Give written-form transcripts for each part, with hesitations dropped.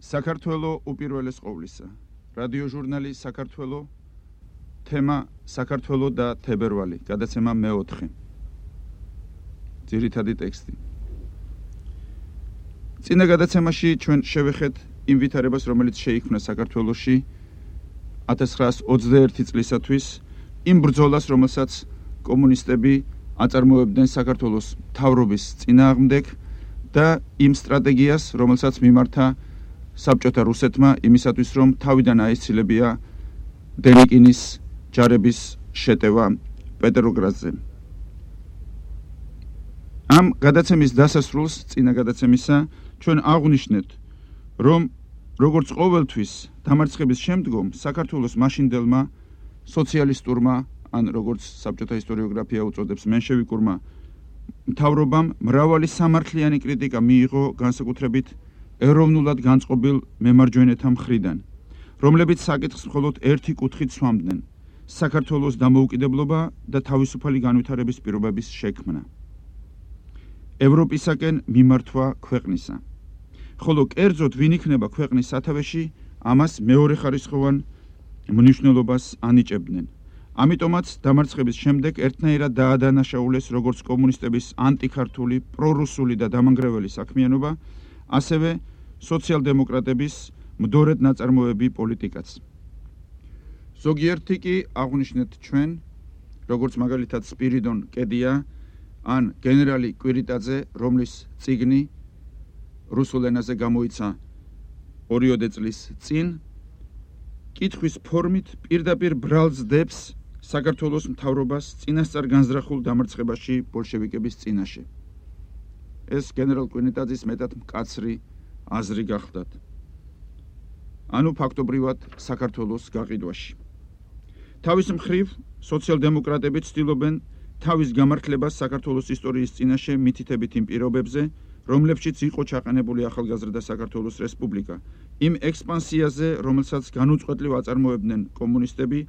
საქართველო უპირველეს ყოვლისა. რადიო ჟურნალი საქართველო, თემა საქართველო და თებერვალი, გადაცემა მე-4. ძირითადი ტექსტი. წინა გადაცემაში ჩვენ შევეხეთ იმ ვითარებას, რომელიც შეიქმნა საქართველოში 1921 წლისათვის, იმ ბრძოლას, რომელსაც კომუნისტები აწარმოებდნენ საქართველოს მთავრობის წინააღმდეგ და იმ სტრატეგიას, რომელსაც მიმართა საბჭოთა რუსეთმა იმისათვის, რომ თავიდან აეცილებია დენიკინის ჯარების შეტევა პეტროგრადზე. ამ გადაცემის დასასრულს, წინა გადაცემისა, ჩვენ აღვნიშნეთ, რომ როგორც ყოველთვის დამარცხების შემდგომ საქართველოს მაშინდელმა სოციალისტურმა, ან როგორც საბჭოთა ისტორიოგრაფია უწოდებს, მენშევიკურმა მთავრობამ მრავალი სამართლიანი კრიტიკა მიიღო განსაკუთრებით ეროვნულად განწყობილ მემარჯვენეთა მხრიდან, რომლებიც საკითხს მხოლოდ ერთი კუთხით სვამდნენ: საქართველოს დამოუკიდებლობა და თავისუფალი განვითარების პირობების შექმნა, ევროპისაკენ მიმართვა ქვეყნისა. ხოლო კერძოდ ვინ იქნება ქვეყნის სათავეში, ამას მეორეხარისხოვან მნიშვნელობას ანიჭებდნენ. ამიტომაც დამარცხების შემდეგ ერთნაირად დაადანაშაულეს როგორც კომუნისტების ანტიქართული, პრორუსული და დამანგრეველი საქმიანობა, ასევე სოციალ-დემოკრატების მდორედ ნაწარმოები პოლიტიკაც. ზოგიერთი კი აღვნიშნეთ ჩვენ, როგორც მაგალითად სპირიდონ კედია ან გენერალი კვირიტაძე, რომლის წიგნი რუსულ ენაზე გამოიცა 2 წლის წინ, კითხვის ფორმით პირდაპირ ბრალს დებს საქართველოს მთავრობას წინასწარ განზრახულ დამარცხებაში ბოლშევიკების წინაშე. ეს გენერალ კვირიტაძის მეტად მკაცრი აზრი გახლდათ. ანუ ფაქტობრივად საქართველოს გაყიდვაში. თავის მხრივ სოციალ-დემოკრატები ცდილობენ თავის გამართლებას საქართველოს ისტორიის წინაშე მითითებით იმ პირობებზე, რომლებშიც იყო ჩაყენებული ახალგაზრდა საქართველოს რესპუბლიკა, იმ ექსპანსიაზე, რომელსაც განუწყვეტლივ აწარმოებდნენ კომუნისტები,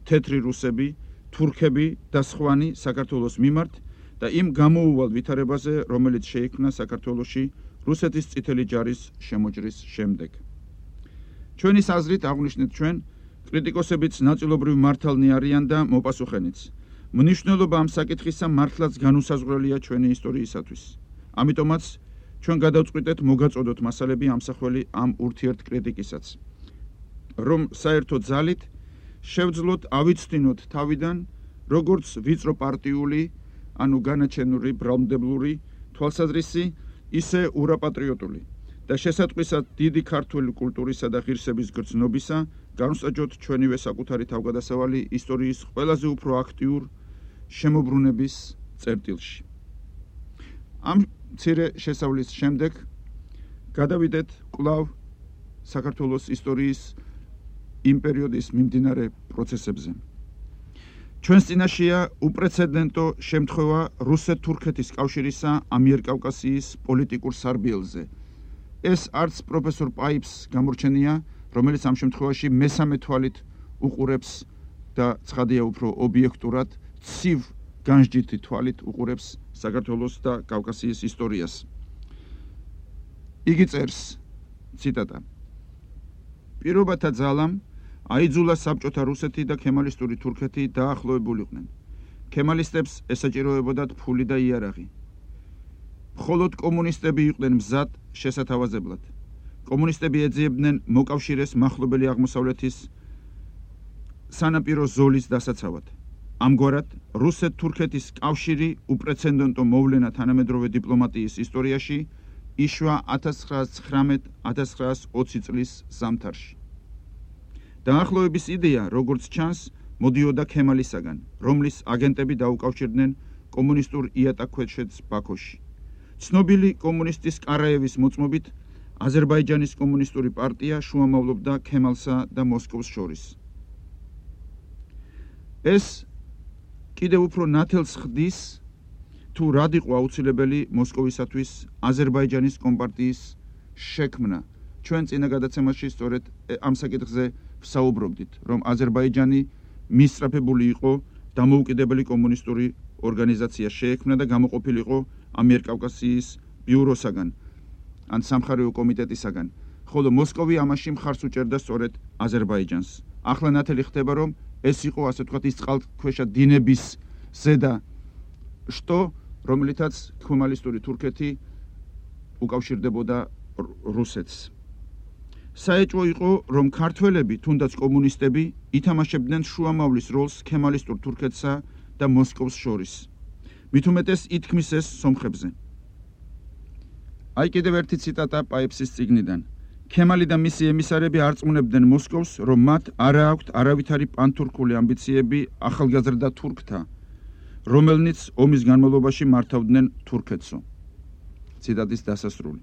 თეთრი რუსები, თურქები და სხვანი საქართველოს მიმართ და იმ გამოუვალ ვითარებაზე, რომელიც შეიქმნა საქართველოში რუსეთის წითელი ჯარის შემოჭრის შემდეგ. ჩვენის აზრით აღვნიშნეთ ჩვენ, კრიტიკოსებიც ნაწილობრივ მართალნი არიან და მოპასუხენიც. მნიშვნელობა ამ საკითხისა მართლაც განუსაზღვრელია ჩვენი ისტორიისათვის. ამიტომაც ჩვენ გადავწყვიტეთ მოგაწოდოთ მასალები ამსახველი ამ ურთიერთკრიტიკისაც, რომ საერთო ძალით შევძლოთ ავიცნოთ თავიდან, როგორც ვიწრო პარტიული, ანუ განაჩენური, ბრალმდებლური თვალსაზრისი, ისე ურაპატრიოტული და შესატყვისად დიდი ქართული კულტურისა და ღირსების გრძნობისა, განსაჯოთ ჩვენივე საკუთარი თავგადასავალი ისტორიის ყველაზე უფრო აქტიურ შემოbrunების წერტილში. ამ მცირე შესავლის შემდეგ გადავიდეთ კვლავ საქართველოს ისტორიის იმ პერიოდის მიმდინარე პროცესებზე. ჩვენს წინაშეა უპრეცედენტო შემთხვევა რუსეთ-თურქეთის კავშირისა ამიერკავკასიის პოლიტიკურ სარბიელზე. ეს არც პროფესორ პაიპს გამორჩენია, რომელიც ამ შემთხვევაში მესამე თვალით უყურებს და ცხადია უფრო ობიექტურად, ცივ განსჯითი თვალით უყურებს საქართველოს და კავკასიის ისტორიას. იგი წერს, ციტატა: პირობათა ძალამ აიძულა საბჭოთა რუსეთი და ქემალისტური თურქეთი დაახლოებულიყვნენ. ქემალისტებს ესაჭიროებოდათ ფული და იარაღი. მხოლოდ კომუნისტები იყვნენ მზად შესათავაზებლად. კომუნისტები ეძიებდნენ მოკავშირეს მახლობელი აღმოსავლეთის სანაპირო ზოლის დასაცავად. ამგვარად, რუსეთ-თურქეთის კავშირი უპრეცედენტო მოვლენა თანამედროვე დიპლომატიის ისტორიაში იშვა 1919-1920 წლის ზამთარში. დაახლოების იდეა, როგორც ჩანს, მოდიოდა ქემალისაგან, რომლის აგენტები დაუკავშირდნენ კომუნისტურ იატაკქვეშეთს ბაქოში. ცნობილი კომუნისტის კარაევის მოწმობით, აზერბაიჯანის კომუნისტური პარტია შუამავლობდა ქემალსა და მოსკოვს შორის. ეს კიდევ უფრო ნათელს ხდის, თუ რად იყო აუცილებელი მოსკოვისათვის აზერბაიჯანის კომპარტიის შექმნა. ჩვენ წინა გადაცემაში სწორედ ამ საკითხზე ვსაუბრობდით, რომ აზერბაიჯანი მისწრაფებული იყო დამოუკიდებელი კომუნისტური ორგანიზაცია შეექმნა და გამოყოფილიყო ამიერკავკასიის ბიუროსაგან, ან სამხარეო კომიტეტისაგან, ხოლო მოსკოვი ამაში მხარს უჭერდა სწორედ აზერბაიჯანს. ახლა ნათელი ხდება, რომ ეს იყო, ასე ვთქვათ, ის წყალქვეშა დინების ზედა შტო, რომლითაც ქუმალისტური თურქეთი უკავშირდებოდა რუსეთს. საეჭვო იყო, რომ ქართველები, თუნდაც კომუნისტები, ითამაშებდნენ შუამავლის როლს ქემალისტურ თურქეთსა და მოსკოვს შორის. მით უმეტეს ითქმის ეს სომხებზე. აი კიდევ ერთი ციტატა პაიფსის წიგნიდან. ქემალი და მისი ემისარები არწმუნებდნენ მოსკოვს, რომ მათ არა აქვთ არავითარი პანთურქული ამბიციები ახალგაზრდა თურქთა, რომელნიც ომის განმავლობაში მართავდნენ თურქეთსო. ციტატის დასასრული.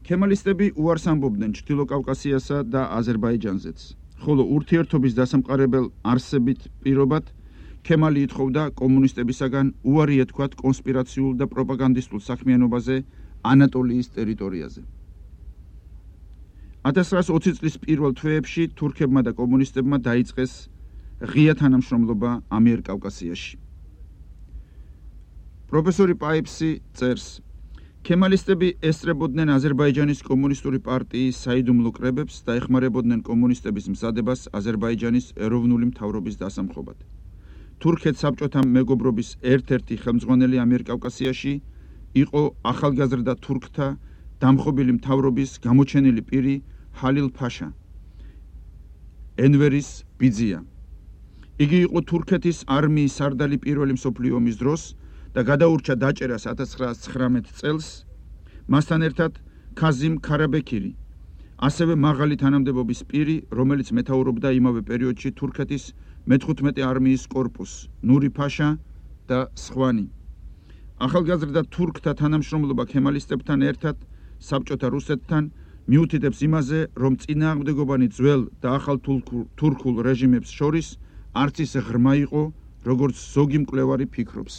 ქემალისტები უარს ამბობდნენ ჩრდილო კავკასიასა და აზერბაიჯანზეც, ხოლო ურთიერთობის დასამყარებელ არსებით პირობად ქემალი ითხოვდა კომუნისტებისაგან უარი ეთქვათ კონსპირაციულ და პროპაგანდისტულ საქმიანობაზე ანატოლიის ტერიტორიაზე. 1920 წლის პირველ თვეებში თურქებმა და კომუნისტებმა დაიწყეს ღია თანამშრომლობა ამიერკავკასიაში. პროფესორი პაიფსი წერს, ქემალისტები ესწრებოდნენ აზერბაიჯანის კომუნისტური პარტიის საიდუმლო კრებებს და ეხმარებოდნენ კომუნისტების მზადებას აზერბაიჯანის ეროვნული მთავრობის დასამხობად. თურქეთ საბჭოთა მეგობრობის ერთ-ერთი ხელმძღვანელი ამიერკავკასიაში იყო ახალგაზრდა თურქთა დამხობილი მთავრობის გამოჩენილი პირი ჰალილ ფაშა, ენვერის ბიძია. იგი იყო თურქეთის არმიის სარდალი პირველი მსოფლიო ომის დროს და გადაურჩა დაჭერას 1919 წელს, მასთან ერთად ქაზიმ ქარაბექირი, ასევე მაღალი თანამდებობის პირი, რომელიც მეთაურობდა იმავე პერიოდში თურქეთის მე-15 არმიის კორპუსს, ნური ფაშა და სხვანი. ახალგაზრდა თურქთა თანამშრომლობა ქემალისტებთან ერთად საბჭოთა რუსეთთან მიუთითებს იმაზე, რომ წინააღმდეგობანი ძველ და ახალ თურქულ რეჟიმებს შორის არც ისე ღრმა იყო, როგორც ზოგი მკვლევარი ფიქრობს.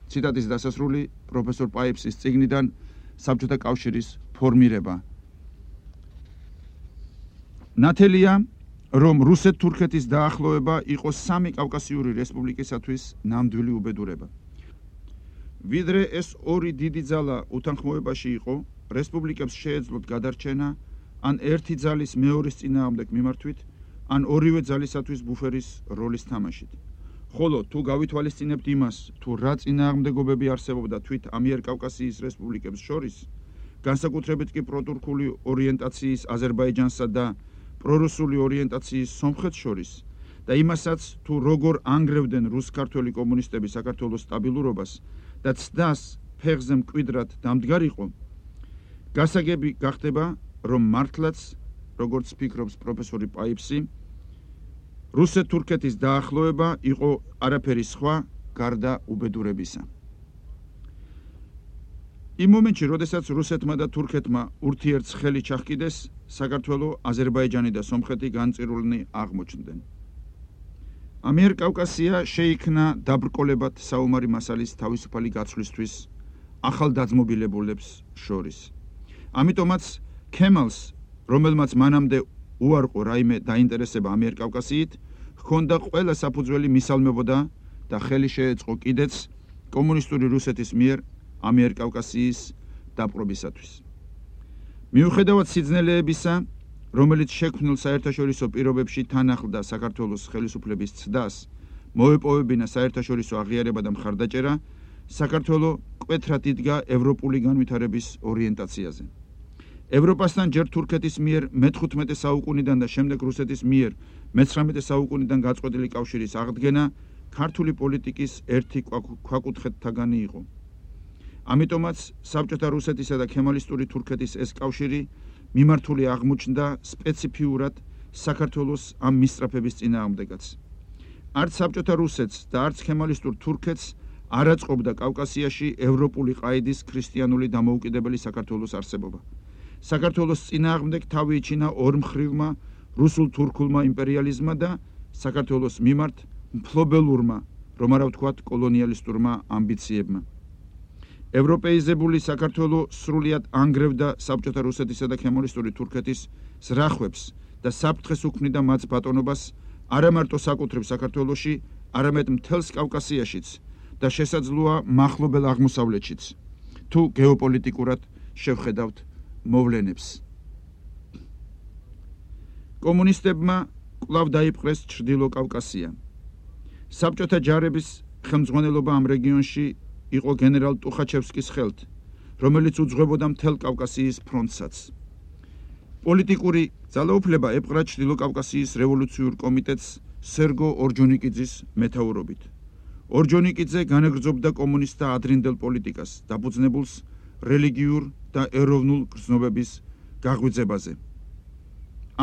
ციტატის დასასრული პროფესორ პაიფსის წიგნიდან საბჭოთა კავშირის ფორმირება. ნათელია, რომ რუსეთ-თურქეთის დაახლოება იყო სამი კავკასიური რესპუბლიკისათვის ნამდვილი უბედურება. ვიდრე ეს ორი დიდი ძალა უთანხმოებაში იყო, რესპუბლიკებს შეეძლოთ გადარჩენა ან ერთი ძალის მეორის წინააღმდეგ მიმართვით, ან ორივე ძალისათვის ბუფერის როლის თამაშით. ხოლო თუ გავითვალისწინებთ იმას, თუ რა წინააღმდეგობები არსებობდა თვით ამიერკავკასიის რესპუბლიკებს შორის, განსაკუთრებით კი პროტურქული ორიენტაციის აზერბაიჯანსა და პრორუსული ორიენტაციის სომხეთს შორის და იმასაც, თუ როგორ ანგრევდნენ რუს-ქართველი კომუნისტები საქართველოს სტაბილურობას და ცდას ფეხზე მკვიდრად დამდგარიყო, გასაგები გახდება, რომ მართლაც, როგორც ფიქრობს პროფესორი პაიფსი, რუსეთ-თურქეთის დაახლოება იყო არაფერი სხვა გარდა უბედურებისა. იმ მომენტში, როდესაც რუსეთმა და თურქეთმა ურთიერთს ხელი ჩახკიდეს, საქართველო, აზერბაიჯანი და სომხეთი განწირულნი აღმოჩნდნენ. ამიერკავკასია შეიქმნა დაბრკოლებად საომარი მასალის თავისუფალი გაცვლისთვის ახალდაძმობილებულებს შორის. ამიტომაც ქემალს, რომელმაც მანამდე უარყო რაიმე დაინტერესება ამიერკავკასიით, ჰქონდა ყველა საფუძველი მისალმებოდა და ხელი შეეწყო კიდეც კომუნისტური რუსეთის მიერ ამიერკავკასიის დაპყრობისათვის. მიუხედავად სიძნელეებისა, რომელიც შექმნილ საერთაშორისო პირობებში თან ახლდა საქართველოს ხელისუფლების ცდას, მოეპოვებინა საერთაშორისო აღიარება და მხარდაჭერა, საქართველო მკვეთრად იდგა ევროპული განვითარების ორიენტაციაზე. ევროპასთან ჯერ თურქეთის მიერ მე-15 საუკუნიდან და შემდეგ რუსეთის მიერ მე-19 საუკუნიდან გაწყვეტილი კავშირის აღდგენა ქართული პოლიტიკის ერთი ქვაკუთხედთაგანი იყო. ამიტომაც საბჭოთა რუსეთისა და ქემალისტური თურქეთის ეს კავშირი მიმართული აღმოჩნდა სპეციფიურად საქართველოს ამ მისწრაფების წინააღმდეგაც. არც საბჭოთა რუსეთს და არც ქემალისტურ თურქეთს არ აწყობდა კავკასიაში ევროპული ყაიდის ქრისტიანული დამოუკიდებელი საქართველოს არსებობა. საქართველოს წინააღმდეგ თავი იჩინა ორმხრივმა რუსულ-თურქულმა იმპერიალიზმმა და საქართველოს მიმართ მფლობელურმა, რომ არა ვთქვათ კოლონიალისტურმა ამბიციებმა. ევროპეიზებული საქართველო სრულიად ანგრევდა საბჭოთა რუსეთისა და ქემალისტური თურქეთის ზრახვებს და საფრთხეს უქმნიდა მათ ბატონობას არა მარტო საკუთრივ საქართველოში, არამედ მთელს კავკასიაშიც და შესაძლოა მახლობელ აღმოსავლეთშიც, თუ გეოპოლიტიკურად შევხედავთ მოვლენებს. კომუნისტებმა კვლავ დაიპყრეს ჩრდილო კავკასია. საბჭოთა ჯარების ხელმძღვანელობა ამ რეგიონში იყო გენერალ ტუხაჩევსკის ხელთ, რომელიც უძღვებოდა მთელ კავკასიის ფრონტსაც. პოლიტიკური ძალაუფლება ეპყრა ჩრდილო კავკასიის რევოლუციურ კომიტეტს სერგო ორჯონიკიძის მეთაურობით. ორჯონიკიძე განაგრძობდა კომუნისტთა ადრინდელ პოლიტიკას, დაფუძნებულს რელიგიურ და ეროვნულ გრძნობების გაღვიძებაზე.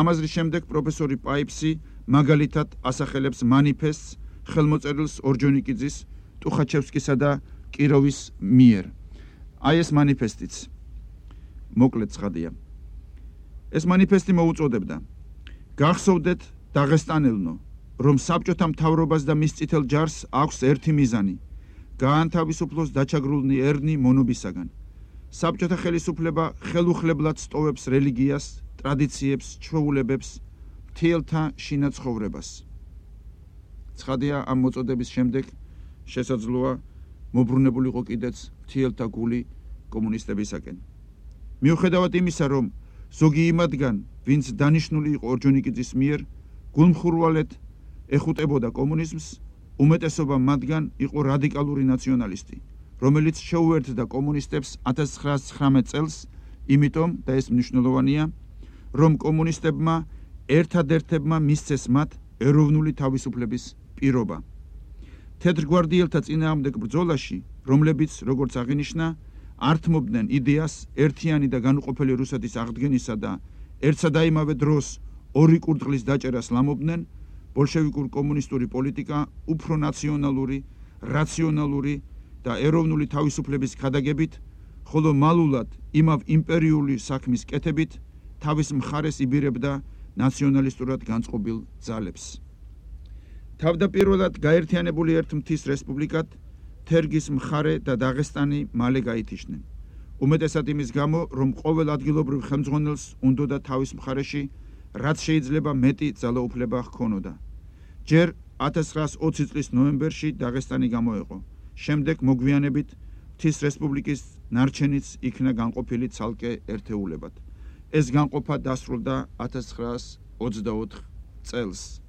ამაზრის შემდეგ პროფესორი პაიპსი მაგალითად ასახელებს მანიფესტს ხელმოწერილს ორჯონიკიძის, ტუხაჩევსკისა და კიროვის მიერ. აი ეს მანიფესტიც მოკლედ ცხადია. ეს მანიფესტი მოუწოდებდა: გახსოვდეთ დაღესტანელნო, რომ საბჭოთა მთავრობას და მის წითელ ჯარს აქვს ერთი მიზანი: გაანთავისუფლოს დაჩაგრულნი ერნი მონობისაგან. საბჭოთა ხელისუფლება ხელუხლებლად სტოვებს რელიგიას, ტრადიციებს, ჩვეულებებს, მთიელთა შინა ცხოვრებას. ცხადია, ამ მოწოდების შემდეგ შესაძლოა მობრუნებულიყო კიდეც მთიელთა გული კომუნისტებისაკენ. მიუხედავად იმისა, რომ ზოგი იმათგან, ვინც დანიშნული იყო ორჯონიკიძის მიერ, გულმხურვალედ ეხუტებოდა კომუნიზმს, უმეტესობა მათგან იყო რადიკალური ნაციონალისტი, რომელიც შეუერთდა კომუნისტებს 1919 წელს, იმიტომ და ეს მნიშვნელოვანია, რომ კომუნისტებმა ერთადერთებმა მისცეს მათ ეროვნული თავისუფლების პირობა. თეთრგვარდიელთა წინააღმდეგ ბრძოლაში, რომლებიც, როგორც აღინიშნა, ართმობდნენ იდეას ერთიანი და განუყოფელი რუსეთის აღდგენისა და ერთსა და იმავე დროს ორი კურდღლის დაჭერას ლამობდნენ, ბოლშევიკურ კომუნისტური პოლიტიკა უფრო ნაციონალური, რაციონალური და ეროვნული თავისუფლების ქადაგებით, ხოლო მალულად იმავ იმპერიული საქმის კეთებით თავის მხარეს იბირებდა ნაციონალისტურად განწყობილ ძალებს. თავდაპირველად გაერთიანებული ერთ მთის რესპუბლიკად თერგის მხარე და დაღესტანი მალე გაითიშნენ. უმეტესად იმის გამო, რომ ყოველ ადგილობრივ ხელმძღვანელს უნდოდა თავის მხარეში რაც შეიძლება მეტი ძალაუფლება ჰქონოდა. ჯერ 1920 წლის ნოემბერში დაღესტანი გამოეყო. შემდეგ მოგვიანებით მთის რესპუბლიკის ნარჩენიც იქნა განყოფილი ცალკე ერთეულებად. ეს განყოფა დასრულდა 1924 წელს.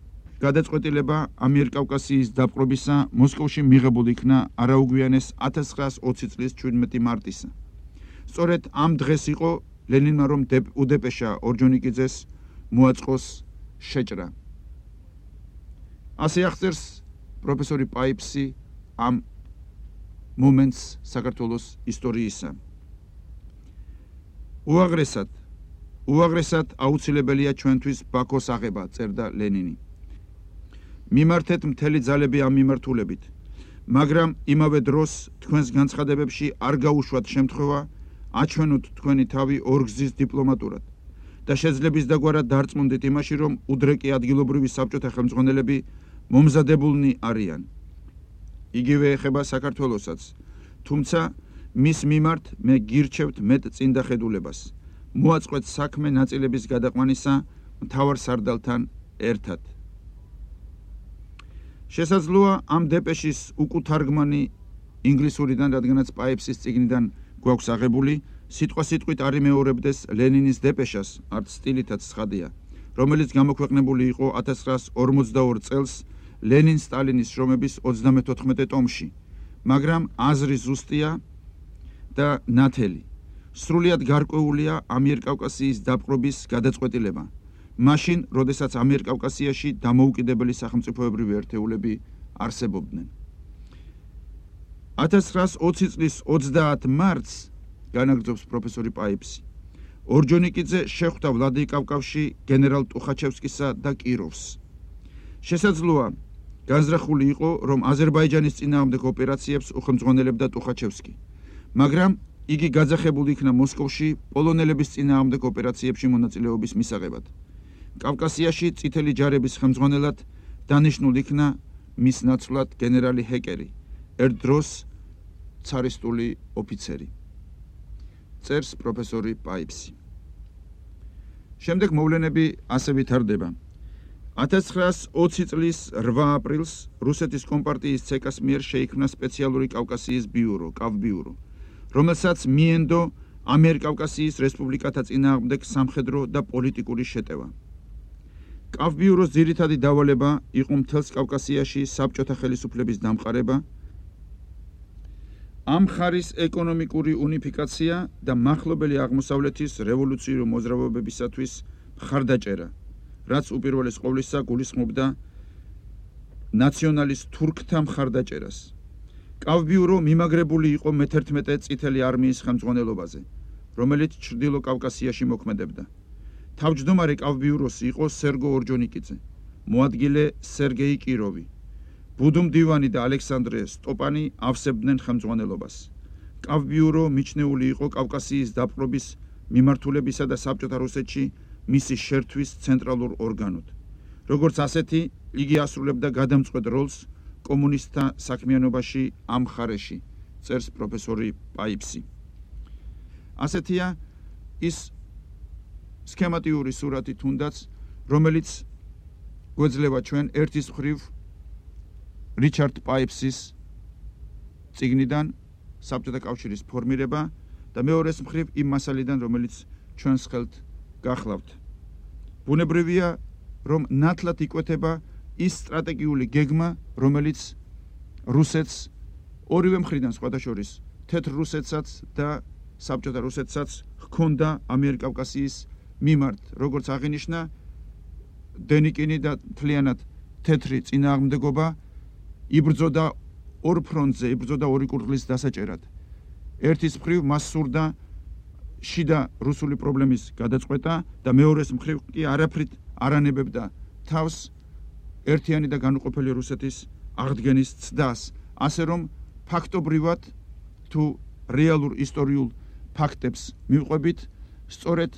გადაწყვეტილება ამიერკავკასიის დაპყრობისა მოსკოვში მიღებულ იქნა არაუგვიანეს 1920 წლის 17 მარტისა. სწორედ ამ დღეს იყო ლენინმა რომ უდეპეშა ორჯონიკიძეს მოაწყოს შეჭრა. ასე აღწერს პროფესორი პაიპსი ამ მომენტს საქართველოს ისტორიისა. უაღრესად აუცილებელია ჩვენთვის ბაქოს აღება, წერდა ლენინი. მიმართეთ მთელი ძალები ამ მიმართულებით, მაგრამ იმავე დროს თქვენს განცხადებებში არ გაუშვათ შემთხვევა აჩვენოთ თქვენი თავი ორგზის დიპლომატურად და შეძლების დაგვარად დარწმუნდით იმაში, რომ უდრეკი ადგილობრივი საბჭოთა ხელმძღვანელები მომზადებულნი არიან. იგივე ეხება საქართველოსაც, თუმცა მის მიმართ მე გირჩევთ მეტ წინდახედულებას. მოაწყვეთ საქმე ნაწილების გადაყვანისა მთავარ სარდალთან ერთად. შესაძლოა ამ დეპეშის უკუთარგმანი ინგლისურიდან, რადგანაც პაიპსის წიგნიდან გვაქვს აღებული, სიტყვასიტყვით არ იმეორებდეს ლენინის დეპეშას, არც სტილითაც ცხადია, რომელიც გამოქვეყნებული იყო 1942 წელს ლენინ-სტალინის შრომების 34 ტომში, მაგრამ აზრი ზუსტია და ნათელი. სრულიად გარკვეულია ამიერკავკასიის დაპყრობის გადაწყვეტილება. მაშინ, როდესაც ამიერკავკასიაში დამოუკიდებელი სახელმწიფოებრივი ერთეულები არსებობდნენ. 1920 წლის 30 მარტს, განაგრძობს პროფესორი პაიპსი, ორჯონიკიძე შეხვდა ვლადიკავკაზში გენერალ ტუხაჩევსკისა და კიროვს. შესაძლოა განზრახული იყო, რომ აზერბაიჯანის წინააღმდეგ ოპერაციებს უხელმძღვანელებდა ტუხაჩევსკი, მაგრამ იგი გაძახებული იქნა მოსკოვში პოლონელების წინააღმდეგ ოპერაციებში მონაწილეობის მისაღებად. კავკასიაში წითელი ჯარების ხელმძღვანელად დანიშნულ იქნა მის ნაცვლად გენერალი ჰეკერი, ერთ დროს ცარისტული ოფიცერი. წერს პროფესორი პაიპსი. შემდეგ მოვლენები ასე ვითარდება. 1920 წლის 8 აპრილს რუსეთის კომპარტიის ცეკას მიერ შეიქმნა სპეციალური კავკასიის ბიურო, კავბიურო, რომელსაც მიენდო ამიერკავკასიის რესპუბლიკათა წინააღმდეგ სამხედრო და პოლიტიკური შეტევა. კავბიუროს ძირითადი დავალება იყო მთელს კავკასიაში საბჭოთა ხელისუფლების დამყარება, ამ მხარის ეკონომიკური უნიფიკაცია და მახლობელი აღმოსავლეთის რევოლუციური მოძრაობებისათვის მხარდაჭერა, რაც უპირველეს ყოვლისა გულისხმობდა ნაციონალის თურქთა მხარდაჭერას. კავბიურო მიმაგრებული იყო მე-11 წითელი არმიის ხელმძღვანელობაზე, რომელიც ჩრდილო კავკასიაში მოქმედებდა. თავმჯდომარე კავბიუროსი იყო სერგო ორჯონიკიძე, მოადგილე სერგეი კიროვი. ბუდუმდივანი და ალექსანდრე სტოპანი ავსებდნენ ხელმძღვანელობას. კავბიურო მიჩნეული იყო კავკასიის დაპყრობის მიმართულებისა და საბჭოთა რუსეთში მისი შერთვის ცენტრალურ ორგანოდ. როგორც ასეთი, იგი ასრულებდა გადამწყვეტ როლს კომუნისტთა საქმიანობაში ამ მხარეში, წერს პროფესორი პაიფსი. ასეთია ის სქემატიური სურათი თუნდაც, რომელიც გვეძლევა ჩვენ ერთის მხრივ რიჩარდ პაიფსის წიგნიდან საბჭოთა კავშირის ფორმირება და მეორეს მხრივ იმ მასალიდან, რომელიც ჩვენს ხელთ გახლავთ. ბუნებრივია, რომ ნათლად იკვეთება ის სტრატეგიული გეგმა, რომელიც რუსეთს ორივე მხრიდან სხვადასხვა თეთრ რუსეთსაც და საბჭოთა რუსეთსაც ჰქონდა ამიერკავკასიის მიმართ, როგორც აღინიშნა, დენიკინი და მთლიანად თეთრი წინააღმდეგობა იბრძოდა ორ ფრონტზე, იბრძოდა ორი კურდღლის დასაჭერად. ერთის მხრივ მას სურდა შიდა რუსული პრობლემის გადაწყვეტა და მეორეს მხრივ კი არაფრით არ ანებებდა თავს ერთიანი და განუყოფელი რუსეთის აღდგენის ცდას, ასე რომ ფაქტობრივად თუ რეალურ ისტორიულ ფაქტებს მივყვებით, სწორედ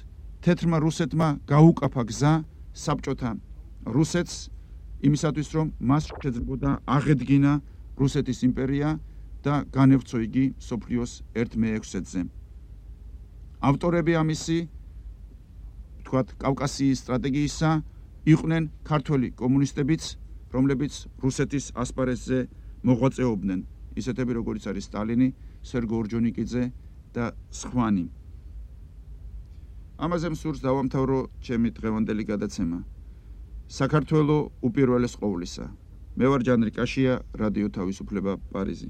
თეთრმა რუსეთმა გაუკაფა გზა საბჭოთა რუსეთს იმისათვის, რომ მას შეძლებოდა აღედგინა რუსეთის იმპერია და განევცო იგი მსოფლიოს ერთ მე-6-ზე. ავტორები ამისი, თქვათ, კავკასიის სტრატეგიისა იყვნენ ქართველი კომუნისტებიც, რომლებიც რუსეთის ასპარეზზე მოღვაწეობდნენ, ისეთები როგორიც არის სტალინი, სერგო ორჯონიკიძე და სხვანი. ამაზე მსურს დავამთავრო ჩემი დღევანდელი გადაცემა. საქართველო უპირველეს ყოვლისა. მე ვარ ჯანრი კაშია, რადიო თავისუფლება, პარიზი.